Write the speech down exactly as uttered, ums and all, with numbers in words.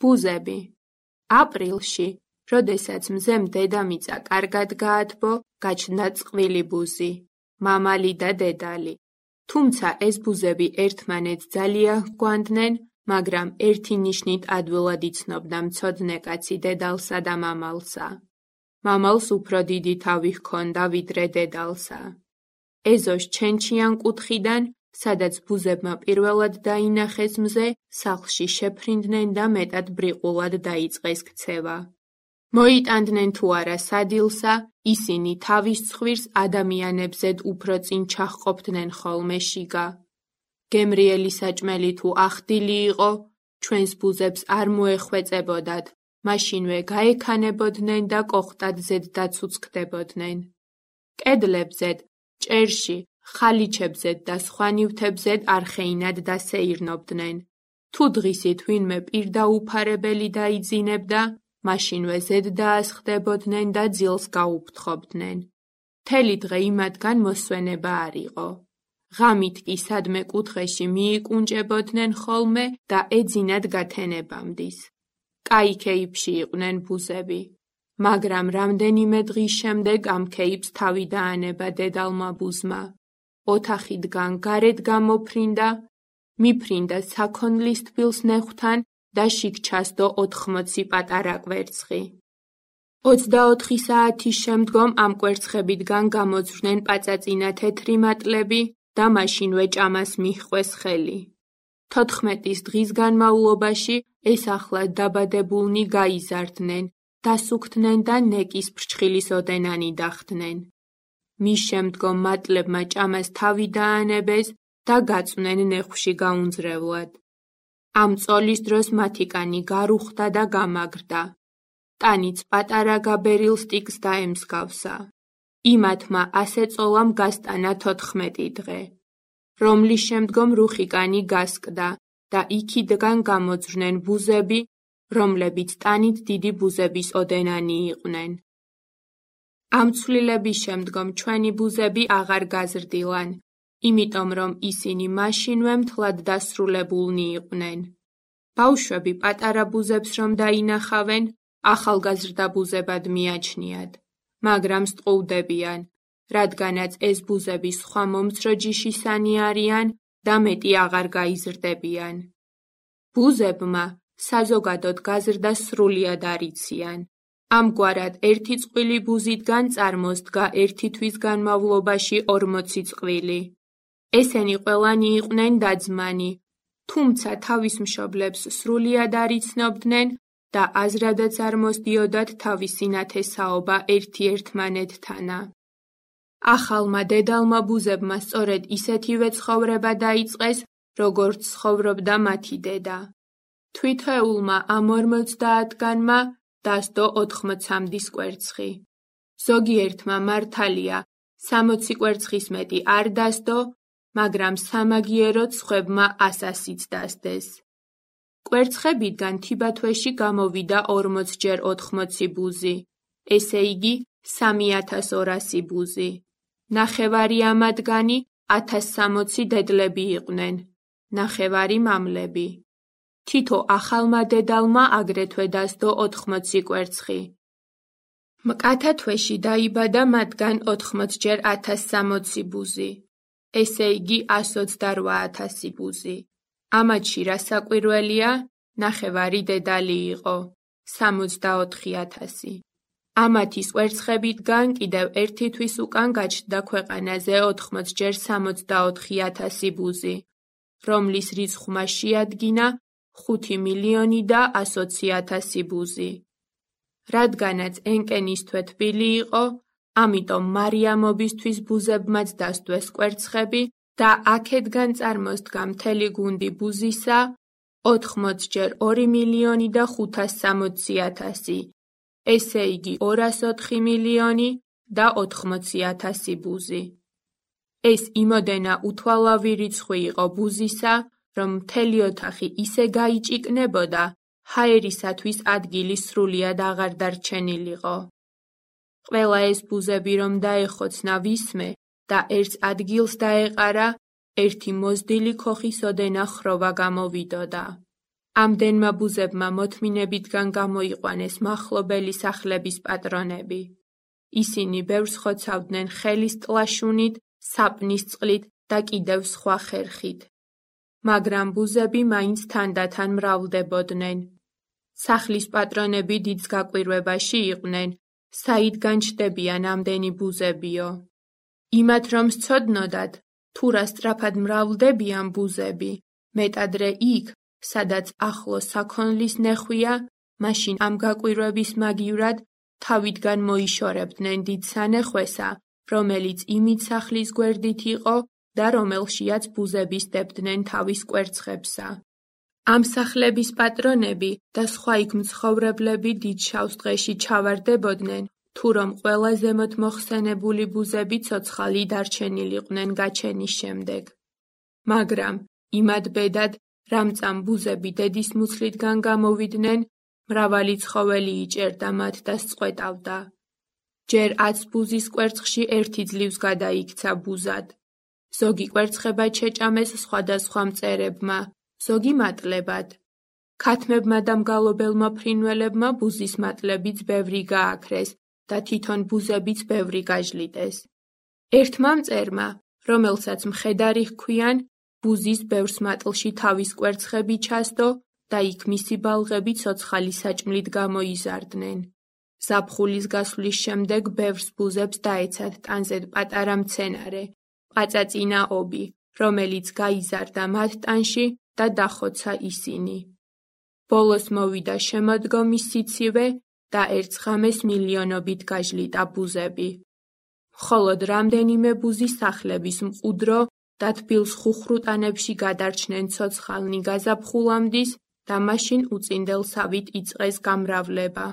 ბუზები. აპრილში, როდესაც მზემ დედამიწა კარგად გაათბო, გაჩნდა წყვილი ბუზი, მამალი და დედალი. თუმცა ეს ბუზები ერთმანეთს ძალიან ჰგვანდნენ, მაგრამ ერთი ნიშნით ადვილად იცნობდა მცოდნე კაცი დედალსა და მამალსა. მამალს უფრო დიდი თავი ჰქონდა ვიდრე დედალსა. ეზოს ჩენჩიან კუთხიდან, სადაც ბუზებმა პირველად დაინახეს მზე, სახლში შეფრინდნენ და მეტად ბრიყულად დაიწყეს ქცევა. მოიტანდნენ თუ არა სადილსა, ისინი თავის ცხვირს ადამიანებზედ უფრო წინ ჩაჰყოფდნენ ხოლმე შიგა. გემრიელი საჭმელი თუ ახდილი იყო, ჩვენს ბუზებს არ მოეხვეწებოდათ, მაშინვე გაექანებოდნენ და კოხტადზედ დაცუცქდებოდნენ. კედლებზედ, ჭერში, ხალიჩებზედ და სხვა ნივთებზედ არხეინად დასეირნობდნენ. თუ დღისით ვინმე პირდაუფარებელი დაიძინებდა, მაშინვე ზედ დაასხდებოდნენ და ძილს გაუფრთხობდნენ. მთელი დღე იმათგან მოსვენება არ იყო. ღამით კი სადმე კუთხეში მიიკუნჭებოდნენ ხოლმე და ეძინათ გათენებამდის. კაი ქეიფში იყვნენ ბუზები, მაგრამ რამდენიმე დღის შემდეგ ამ ქეიფს თავი დაანება დედალმა ბუზმა. ოთახიდან გარეთ გამოფრინდა, მიფრინდა საქონლის თბილს ნეხვთან და შიგ ჩასდო ოთხმოცი პატარა კვერცხი. ოცდაოთხი საათის შემდგომ ამ კვერცხებიდან გამოძვრნენ პაწაწინა თეთრი მატლები და მაშინვე ჭამას მიჰყვეს ხელი. თოთხმეტის დღის განმავლობაში ეს ახლად დაბადებულნი გაიზარდნენ, დასუქდნენ და ნეკის ფრჩხილის ოდენანი დახდნენ. მის შემდგომ მატლებმა ჭამას თავი დაანებეს და გაწვნენ ნეხვში გაუნძრევლად. ამ წოლის დროს მათი კანი გარუხდა და გამაგრდა. ტანიც პატარა გაბერილ სტიკს დაემსგავსა. იმათმა ასე წოლამ გასტანა თოთხმეტი დღე, რომლის შემდგომ რუხი კანი გასკდა და იქიდან გამოძვრნენ ბუზები, რომლებიც ტანით დიდი ბუზების ოდენანი იყვნენ. ამ ცვლილების შემდგომ ჩვენი ბუზები აღარ გაზრდილან, იმიტომ რომ ისინი მაშინვე მთლად დასრულებულნი იყვნენ. ბავშვები პატარა ბუზებს რომ დაინახავენ, ახალგაზრდა ბუზებად მიაჩნიათ, მაგრამ სტყუვდებიან, რადგანაც ეს ბუზები სხვა მომცრო ჯიშისანი არიან და მეტი აღარ გაიზრდებიან. ბუზებმა საზოგადოდ გაზრდა სრულიად არ იციან. ამგვარად ერთი წყვილი ბუზიდან წარმოსდგა ერთი თვის განმავლობაში ორმოცი წყვილი. ესენი ყველანი იყვნენ დაძმანი, თუმცა თავის მშობლებს სრულიად არ იცნობდნენ და აზრადაც არ მოსდიოდათ თავისი ნათესაობა ერთიერთმანეთთანა. ახალმა დედალმა ბუზებმა სწორედ ისეთივე ცხოვრება დაიწყეს, როგორც ცხოვრობდა მათი დედა. თვითეულმა ამ ორმოცდაათგანმა დასდო ოთხმოცამდის კვერცხი. ზოგიერთმა მართალია, სამოცი კვერცხის მეტი არ დასდო, მაგრამ სამაგიეროდ სხვებმა ასასიც დასდეს. კვერცხებიდან თიბათვეში გამოვიდა ორმოცჯერ ოთხმოცი ბუზი, ესე იგი სამი ათას ორასი ბუზი. ნახევარი ამათგანი ათას სამოცი დედლები იყვნენ, ნახევარი მამლები. თითო ახალმა დედალმა აგრეთვე დასდო ოთხმოცი კვერცხი. მკათა თვეში დაიბადა მათგან ოთხმოცჯერ ათას სამოცი ბუზი, ესე იგი ასოცდარვა ათასი ბუზი. ამათში რა საკვირველია, ნახევარი დედალი იყო, სამოცდაოთხი ათასი. ამათის კვერცხებიდან კიდევ ერთი თვის უკან გაჩნდა ქვეყანაზე ოთხმოცჯერ სამოცდაოთხი ათასი ბუზი, რომლის რიცხვმა შეადგინა ხუთი მილიონი და ასოცი ათასი ბუზი. რადგანაც ენკენისთვე თბილი იყო, ამიტომ მარიამობისთვის ბუზებმაც დასდვეს კვერცხები და აქედგან წარმოსდგა მთელი გუნდი ბუზისა, ოთხმოცჯერ ორი მილიონი და ხუთასსამოცი ათასი, ესე იგი ორასოთხი მილიონი და ოთხმოცი ათასი ბუზი. ეს იმოდენა უთვალავი რიცხვი იყო ბუზისა, რომ მთელი ოთახი ისე გაიჭიკნებოდა, ჰაერისათვის ადგილი სრულიად აღარ დარჩენილიყო. ყველა ეს ბუზები რომ დაეხოცნა ვისმე და ერთს ადგილს დაეყარა, ერთი მოზრდილი ქოხის ოდენა ხროვა გამოვიდოდა. ამდენმა ბუზებმა მოთმინებიდან გამოიყვანეს მახლობელი სახლების პატრონები. ისინი ბევრს ხოცავდნენ ხელის ტლაშუნით, საპნის წყლით და კიდევ სხვა ხერხით. მაგრამ ბუზები მაინც თანდათან მრავლდებოდნენ. სახლის პატრონები დიდ გაკვირვებაში იყვნენ, საიდგან ჩდებიან ამდენი ბუზებიო. იმათ რომ სცოდნოდათ, თუ რა სწრაფად მრავლდებიან ბუზები, მეტადრე იქ, სადაც ახლოს საქონლის ნეხვია, მაშინ ამ გაკვირვების მაგივრად თავიდგან მოიშორებდნენ დიდ სანეხვესა, რომელიც იმით სახლის გვერდით იყო და რომელშიაც ბუზები სდებდნენ თავის კვერცხებსა. ამ სახლების პატრონები და სხვა იქ მცხოვრებლები დიდ შავს დღეში ჩავარდებოდნენ, თუ რომ ყველა ზემოთ მოხსენებული ბუზები ცოცხალი დარჩენილიყვნენ გაჩენის შემდეგ. მაგრამ იმად ბედად, რამწამ ბუზები დედის მუცლიდან გამოვიდნენ, მრავალი ცხოველი იჭერდა მათ და სწყვეტავდა. ჯერ ათს ბუზის კვერცხში ერთი ძლივს გადაიქცა ბუზად. ზოგი კვერცხება შეჭამეს სხვადასხვა მწერებმა, ზოგი მატლებად. ქათმებმა და მგალობელმა ფრინველებმა ბუზის მატლებიც ბევრი გააქრეს და თვითონ ბუზებიც ბევრი გაჟლიტეს. ერთმა მწერმა, რომელსაც მხედარი ჰქვიან, ბუზის ბევრს მატლში თავის კვერცხები ჩასდო და იქ მისი ბალღები ცოცხალი საჭმლით გამოიზარდნენ. ზაფხულის გასვლის შემდეგ ბევრს ბუზებს დაეცათ ტანზედ პატარა მცენარე, პაწაწინა ობი, რომელიც გაიზარდა მათ ტანში და დახოცა ისინი. ბოლოს მოვიდა შემოდგომის სიცივე და ერთ ღამეს მილიონობით გაჟლიტა ბუზები. მხოლოდ რამდენიმე ბუზი სახლების მყუდრო და თბილ ხუხრუტანებში გადარჩნენ ცოცხალნი გაზაფხულამდის და მაშინ უწინდელ სავით იწყეს გამრავლება.